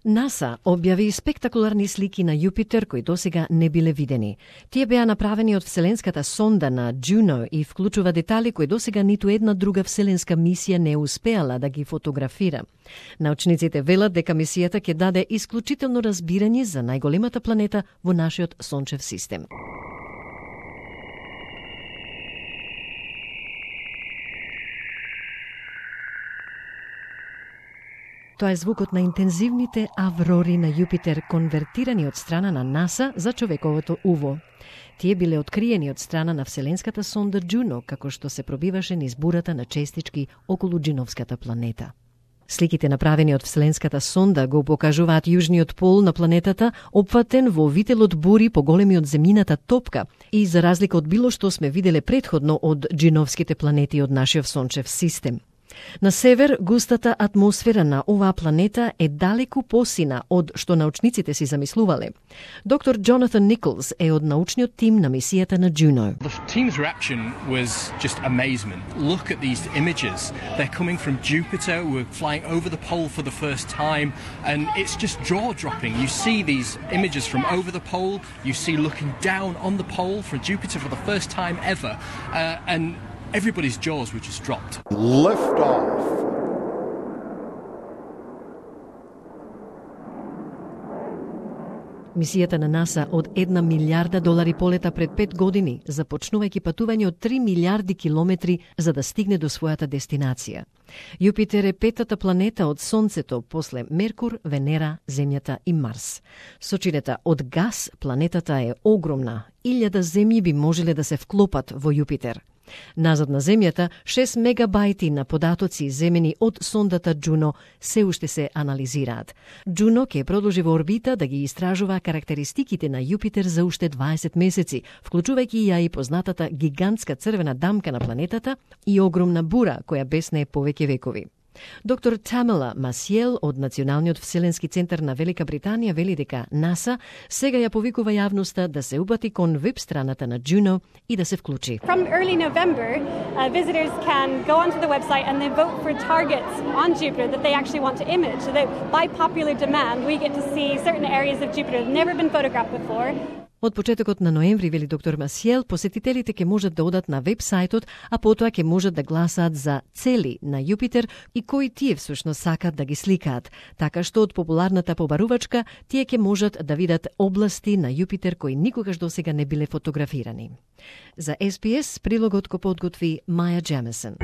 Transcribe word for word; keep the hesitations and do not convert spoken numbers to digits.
НАСА објави спектакуларни слики на Јупитер кои досега не биле видени. Тие беа направени од вселенската сонда на Джуно и вклучува детали кои досега ниту една друга вселенска мисија не успеала да ги фотографира. Научниците велат дека мисијата ќе даде исклучително разбирање за најголемата планета во нашиот сончев систем. Тоа е звукот на интензивните аврори на Јупитер, конвертирани од страна на НАСА за човековото уво. Тие биле откриени од страна на вселенската сонда Джуно, како што се пробиваше низ бурата на честички околу Джиновската планета. Сликите направени од вселенската сонда го покажуваат јужниот пол на планетата, опфатен во вителот бури поголеми од земјината топка и за разлика од било што сме виделе претходно од джиновските планети од нашиот сончев систем. На север, густата атмосфера на оваа планета е далеку посина од што научниците си замислувале. Доктор Джонатан Николс е од научниот тим на мисијата на Джуно. The team's reaction was just amazement. Look at these images. They're coming from Jupiter. We're flying over the pole for the first time, and it's just jaw-dropping. You see these images from over the pole. You see looking down on the pole from Jupiter for the first time ever, uh, and everybody's jaws were just dropped. Lift off. Мисијата на НАСА од една милиарда долари полета пред пет години, започнувајќи патување од три милиарди километри за да стигне до својата дестинација. Јупитер е петата планета од Сонцето, после Меркур, Венера, Земјата и Марс. Сочинета од гас, планетата е огромна. Илјада земји би можеле да се вклопат во Јупитер. Назад на Земјата, шест мегабајти на податоци земени од сондата Джуно се уште се анализираат. Джуно ќе продолжи во орбита да ги истражува карактеристиките на Јупитер за уште дваесет месеци, вклучувајќи ја и познатата гигантска црвена дамка на планетата и огромна бура која беснее повеќе векови. Доктор Тамела Масиел од Националниот вселенски центар на Велика Британија вели дека НАСА сега ја повикува јавноста да се убати кон веб страната на Джуно и да се вклучи. From early November, uh, visitors can go onto the website and they vote for targets on Jupiter that they actually want to image. So that by popular demand, we get to see certain areas of Jupiter that have never been photographed before. Од почетокот на ноември, вели доктор Масиел, посетителите ќе можат да одат на веб-сајтот, а потоа ќе можат да гласаат за цели на Јупитер и кои тие всушност сакат да ги сликаат. Така што од популарната побарувачка тие ќе можат да видат области на Јупитер кои никогаш досега не биле фотографирани. За Ес Би Ес прилогот го подготви Маја Джемесон.